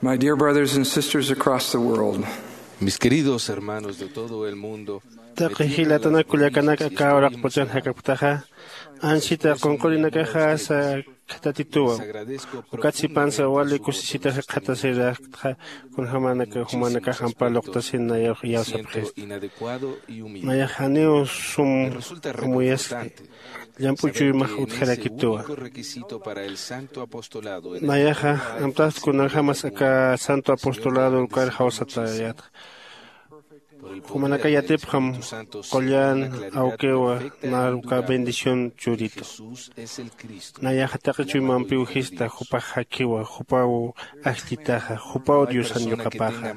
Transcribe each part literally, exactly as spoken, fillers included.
My dear brothers and sisters across the world, Mis queridos hermanos de todo el mundo, taqi jilatanak kullakanak aka uraqpachan jakapktaxa, ansita qunqurinakaxa asa khatatituwa. Ukat sipansa wali kusisita jikxatasiraktxa, kunjamanaka jumanakax ampa luqtasin nayarux iyawsapxista. Nayax janiw sum amuyaski, llamp'u chuymax utjarakituwa. Nayaxa amtast kunjamas aka santo apostolado ukar jawsatayätxa. Jumanaka yatipxam qullan awkiwa, nar uka bendición churitu. Nayaxa taqi chuymampiw jista, jupax jakiwa, jupaw ajllitaxa, jupaw Diosan yuqapaxa.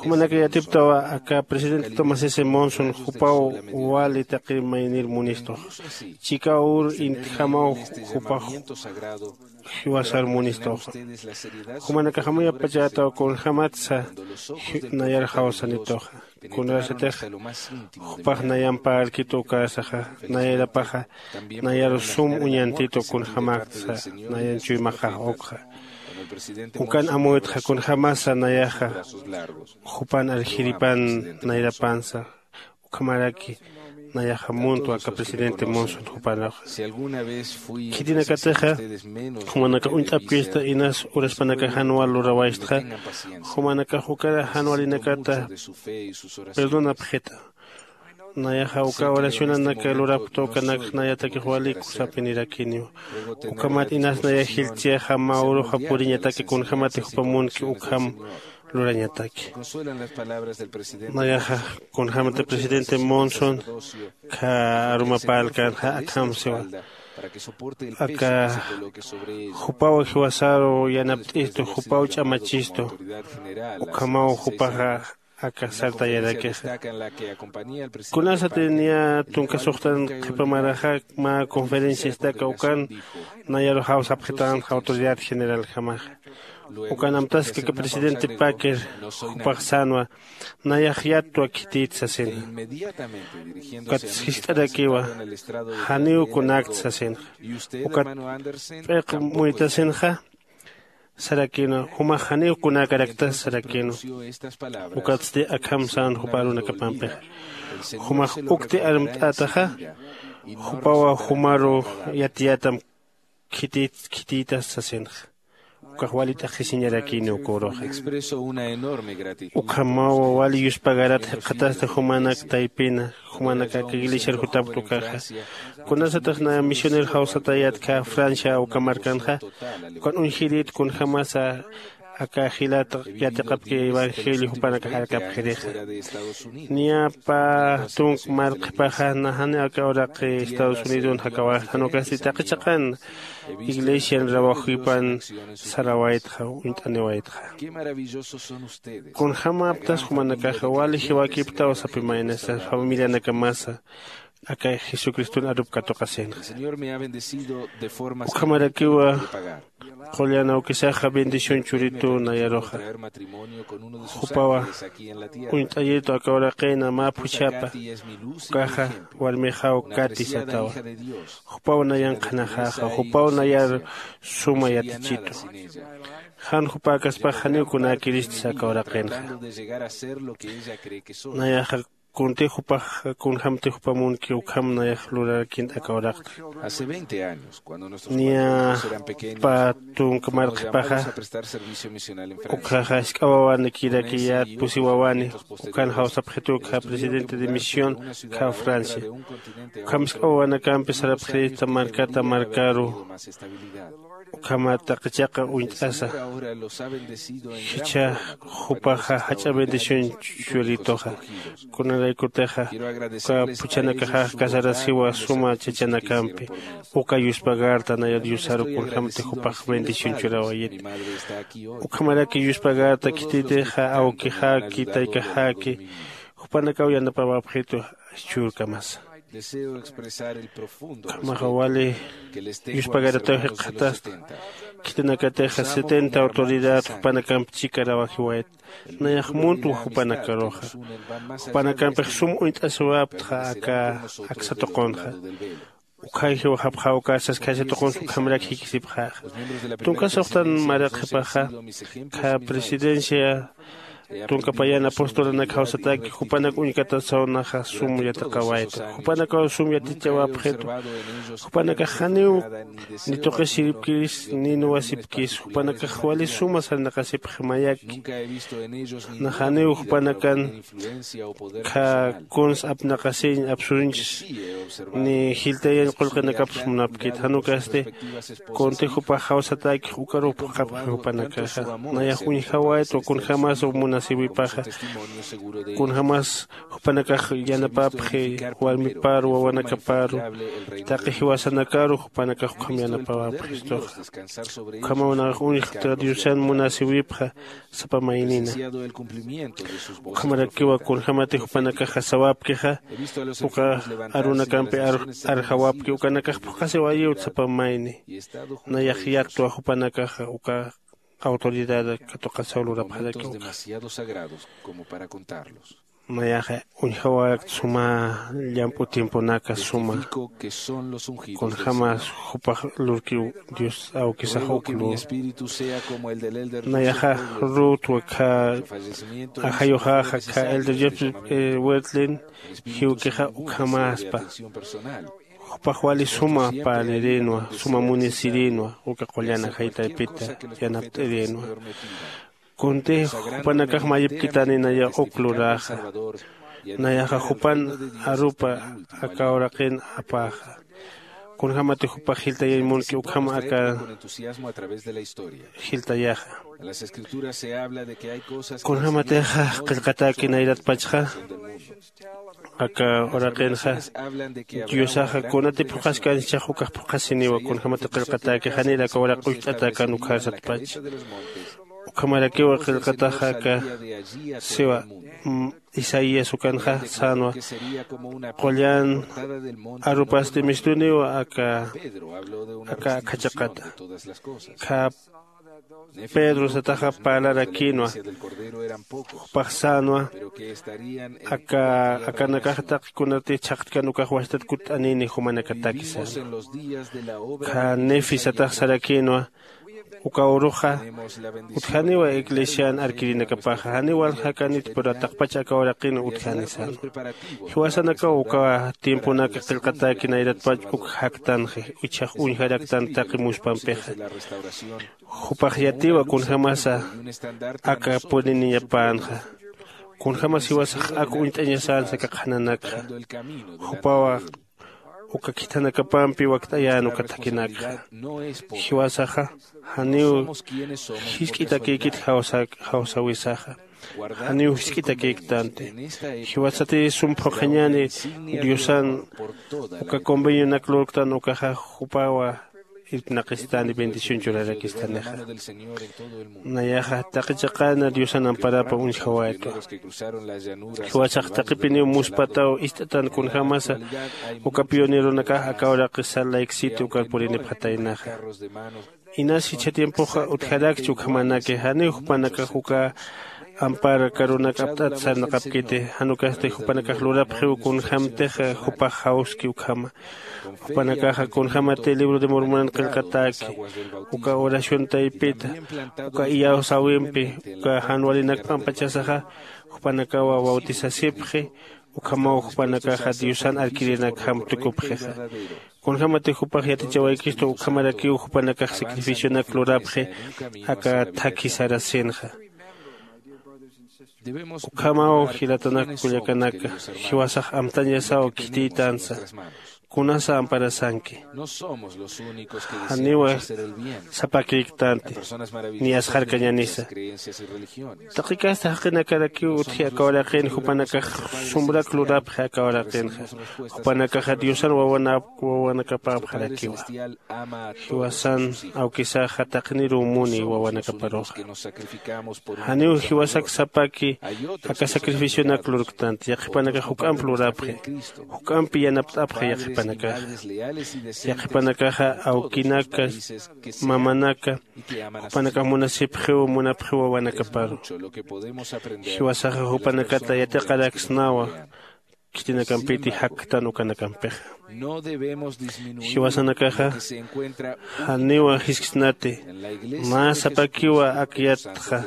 Jumanaka yatiptawa aka presidente Thomas S. Monson, jupaw wali taqi maynir munistux. Chikaw ur intjamaw jupax jiwasar munistuxa. Jumanakax amuyapachätaw kunjamatsa nayar jawsanituxa. Kunasatix jupax nayamp parlkitu ukasaxa, nayarapaxa nayar sum uñantitu kunjamäktsa nayan chuymaxax ukxa. Ukan amuytxa kunjamasa nayaxa jupan arjiripan nayrapansa. Ukhamaraki nayaxa muntwa aka presidente Monson jupanaxa. Khitinakatixa jumanakax uñt'apkista inas uraspanakax jan wal lurawaystxa, jumanakax ukar jan walinakata perdonapxita. Nayaxa uka oracionanak lurapkta ukanakxa nayatakix wali kusapinirakiniwa. Ukhamat inas nayax jilchïxa mä uruxa puriñataki kunjämati jupa munki ukham lurañataki. Nayaxa kunjämati presidente Monson kha aruma parlkänxa akham siwa. Aka jupaw jiwasaru yanapt'istu, jupaw ch'amachistu, ukhamaw jupaxa aka sartayarakixa. Kunasati niya tunka suxtan qhipa maraxa mä conferenciastaka ukan nayaru jawsapxitänxa autoridad generaljamaxa. Ukan amtaski aka presidente Packer jupax sänwa, nayax yattwa khitït sasina. Ukat jiskt'arakiwa, janiw kunakt sasinxa. Ukat p'iq muytasinxa sarakïnwa, jumax janiw kunäkarakta sarakïnwa. Ukatsti akham sän jupa arunakapampixa. Jumax ukti armt'ätaxa, jupawa jumaru yatiyätam khitït khitïtas sasinxa. Ukax wali t'aqhisiñarakïniw uka uruxa. Ukhamaw wali yuspagarat jikxatasti jumanak taypina, jumanak aka iglesiar jutapkta ukaxa. Kunasatix naya misionero jawsatayät khä Francia uka markanxa, ukan uñjirït kunjämasa aka jilat yatiqapki evangelio jupanakax arkapxirixa. Niya pä tunk mar qhipaxa, na janiw aka uraqi Estados Unidon jakawaxta, jan ukasti taqi chiqan iglesian rawajwipan sarawaytxa, uñt'aniwaytxa. Kunjämäptas jumanakaxa wali jiwakipktaw sapi maynasa, familianakamasa aka Jesucriston arup katuqasinxa. Ukhamarakiwa qullan awkisaxa bendición churituw nayaruxa. Jupawa uñt'ayitu aka uraqina mä phuchhapa, ukaxa warmixaw Kati satawa. Jupaw nayan qhanaxäxa, jupaw nayar suma yatichitu. Jan jupäkaspax janiw kunäkiristsa aka uraqinxa. Nayaxa kuntix jupax, kunjämtix jupa munki ukham nayax lurarakïnta aka uraqta. Niya pä tunk mar qhipaxa, ukhaxa jisk'a wawanikïrakiyät pusi wawani, ukan jawsapxitu khä presidente de misión khä Francia. Ukham jisk'a wawanakampi sarapxirista markata markaru, ukhamat taqi chiqa uñt'asa. Jichha jupaxa jach'a bendición churituxa. Kunaraykutixa uka phuchhanakaxax casarasiwa suma chachanakampi. Uka yuspagarta nayar Diosaru kunjämti jupax bendición churawayit. Ukhamaraki yuspagarta khititixa awkixaki, taykaxaki, jupanakaw yanapawapxitu churkamasa. Ukhamaxa wali yuspagarataw jikxatasta. Khitinakatixa setenta autoridad jupanakamp chikarawajiwayt. Nayax muntwa jupanakaruxa. Jupanakampix sum uñt'asiwaptxa aka aksa tuqunxa. Ukhañ jiwxapxäw kasas khaysa tuqunsa ukhamarak jikisipxäxa. Tunka suxtan maraqxipaxa, kha presidencia tunka payan apostolanak jawsataki jupanak uñkatasaw naxa sum yatiqawaytu. Jupanakaw sum yatichawapxitu. Jupanakax janiw ni tuqisiripkis ni nuwasipkis, jupanakax wali suma sarnaqasipxi mayaki. Nax janiw jupanakan kha kuns apnaqasiñ apsunchis ni jiltayañ qullqinakaps munapkit. Jan ukasti kunti jupax jawsatäkix ukaruw phuqhapxi jupanakaxa. Nayax uñjawaytwa kunjämas munasiwipaxa, kunjämas jupanakax yanapapxi warmiparu wawanakaparu, taqi jiwasanakaru jupanakax ukham yanapawapxistuxa. Ukhamaw nayax uñjta Diosan munasiwipxa sapa maynina. Ukhamarakiwa kunjämati jupanakaxa sawapkixa, uka arunakampi ar- arjawapki ukanakax phuqhasiwayiw sapa mayni. Nayax yattwa jupanakaxa uka autoridad katuqasaw lurapxaraki uka. Nayaxa uñjawayakt suma llamp'u tiemponaka suma, kunjämas jupax lurkiw Dios awkisax uk lur. Nayaxa rutwa kha ajayuxaxa kha elder Joseph Wirthlin jiwkixa ukhamäspa. Jupax wali suma parlirinwa, suma munisirinwa uka qullan ajay taypita yanapt'irinwa. Kunti jupanakax mayipkitani nayax uk luräxa. Nayaxa jupan arupa aka uraqin apäxa. Kunjämati jupax jiltayañ munki ukham aka jiltayaxa. Kunjämatixa qillqatäki nayratpachxa aka uraqinxa, Diosaxa kunati phuqhaskanchax ukax phuqhasiniwa kunjämati qillqatäki janir aka uraq ucht'atäkan ukharsatpach. Ukhamarakiwa qillqataxa aka siwa isaías ukanxa sänwa, qullan arupasti mistuniwa aka aka akha chiqata. Kha pedro sataxa parlarakïnwa, jupax sänwa aka akanakax taqi kunati chhaqtkan ukax wastat kutt'anini jumanakataki sänwa. Kha nefi satax sarakïnwa, uka uruxa utjaniwa iglesian arkirinakapaxa janiw waljakanit pero taqpach aka uraqin utjani sänwa. Jiwasanakaw uka tiemponaka qillqatäki nayratpach uk jaktanxi, ichhax uñjaraktan taqi muspampixa. Jupax yatiwa kunjämasa aka puriniñapänxa, kunjämas jiwasax ak uñt'añasänsa aka qhananakxa. Jupawa uka khithanakapampi wakt'ayän uka thakhinakxa. Jiwasaxa janiw jisk'itakïkit jawsawisaxa, janiw jisk'itakïktanti. Jiwasati sum phuqhañäni diosan uka convenionak lurktan ukaxa jupawa irpnaqistani bendición churarakistanixa. Nayaxa taqi chiqana diosan amparapa uñjawaytwa. Jiwasax taqipiniw muspataw ist'atan kunjämasa uka pioneronakax aka uraqi salt lake city ukar purinipxataynaxa. Inas jichha tiempoxa utjarakchi ukhamanaki janiw jupanakax uka ampar karunak apt'at sarnaqapkiti. Jan ukasti jupanakax lurapxiw kunjämtixa jupax jawski ukhama. Jupanakaxa kunjämati libro de mormonan qillqatäki uka oración taypita uka iyawsäwimpi uka jan walinak p'ampachasaxa, jupanakawa bautisasipxi. Ukhamaw jupanakaxa diosan arkirinakjam tukupxixa. Kunjämati jupax yatichawaykistu ukhamarakiw jupanakax sacrificionak lurapxi aka thakhi sarasinxa. Ukhamaw jilatanak kullakanaka, jiwasax amtañasaw khitiytansa. Kunasa amparasanki? Janiwa sapakïktanti ni asxarkañanisa. Taqi kasta jaqinakarakiw utji aka uraqin jupanakax sumbrak lurapxi aka uraqinxa. Jupanakaxa diosan wawanakapäpxarakiwa. Jiwasan awkisaxa taqiniruw muni wawanakaparuxa. Janiw jiwasak sapaki aka sacrificionak lurktanti yaqhipanakax juk'amp lurapxi. Juk'ampi yanapt'apxi yaqhipanakaxa. Yaqhipanakaxa awkinaka mamanaka jupanakax munasipxiw munapxiw wawanakaparu. Jiwasaxa jupanakata yatiqaraksnawa. khitinakampiti jaktan ukanakampix. Jiwasanakaxa janiwa jisksnati, mä sapakiwa ak yatxa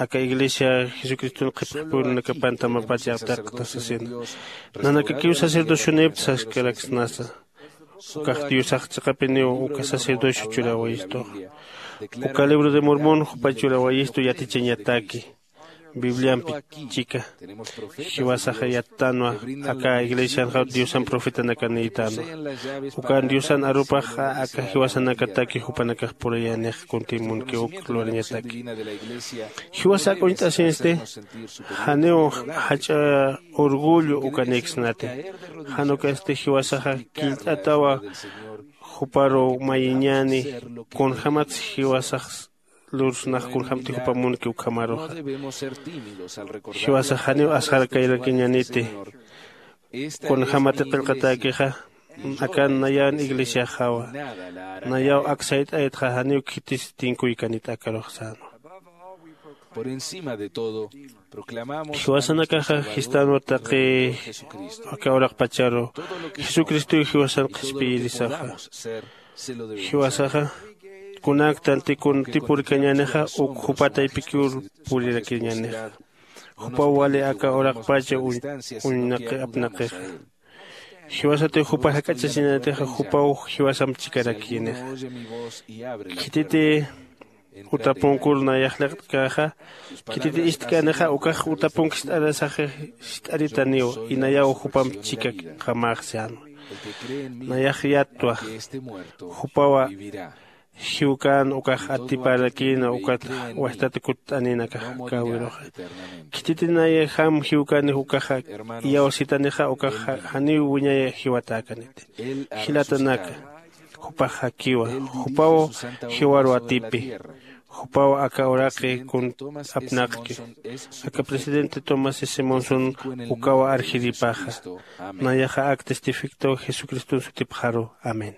aka iglesia jesucriston qhipxipurunakapan tamapat yaqtaqta sasina. Nanakakiw sacerdocionipta saskaraksnasa. Ukax diosax chiqapiniw uka sacerdocio churawayistuxa. Uka libro de mormon jupa churawayistu yatichañataki. Bibliampi chika jiwasaxa yattanwa. Aka iglesianxa diosan profetanakanïtanwa. Ukan diosan arupaxa aka jiwasanakataki jupanakax purayänix kuntimunki uk lurañataki. Jiwasak uñt'asinsti janiw jach'a orgullo ukanïksnati. Jan ukasti jiwasaxa killt'atawa juparu mayiñäni kunjämatsa jiwasax lursnax kunjämti jupamunki ukhamaruxa. Jiwasax janiw asxarkayrakiñäniti kunjämati qillqatäkixa. Akan nayan iglesiaxawa. Nayaw ak sayt'aytxa janiw khitis tinkuykanit akarux sänwa. Jiwasanakaxa jistänwa taqi aka uraqpacharu jesucristow jiwasan qhispiyirisaxa. Jiwasaxa kunaktanti kuntipurkañänixa uk jupa taypikiw purirakiñänixa. Jupaw wali aka uraqpacha uñnaqi apnaqixa. Jiwasatiw jupa jak'achasiñänixa jupaw jiwasamp chikarakïnixa. Khititi utapunkur nayax liqt'käxa khititi istk'änixa ukax utapunk jist'arasaxi jist'aritaniw. Inayaw jupamp chikak qamax sänwa. Nayax yattwa jupawa jiwkän ukax atiparakïna ukat wajtat kutt'anïnakax käwiruxa. Khititi nayajam jiwkänix ukaxa iyawsitanixa ukax janiw wiñay jiwatäkaniti. Jilatanaka, jupax jakiwa. Jupaw jiwaru atipi. Jupaw aka uraqi kun apnaqki. Aka presidente tomás simonson ukawa arjiripaxa. Nayaxa ak testificto jesucriston sutipxaru. Amén.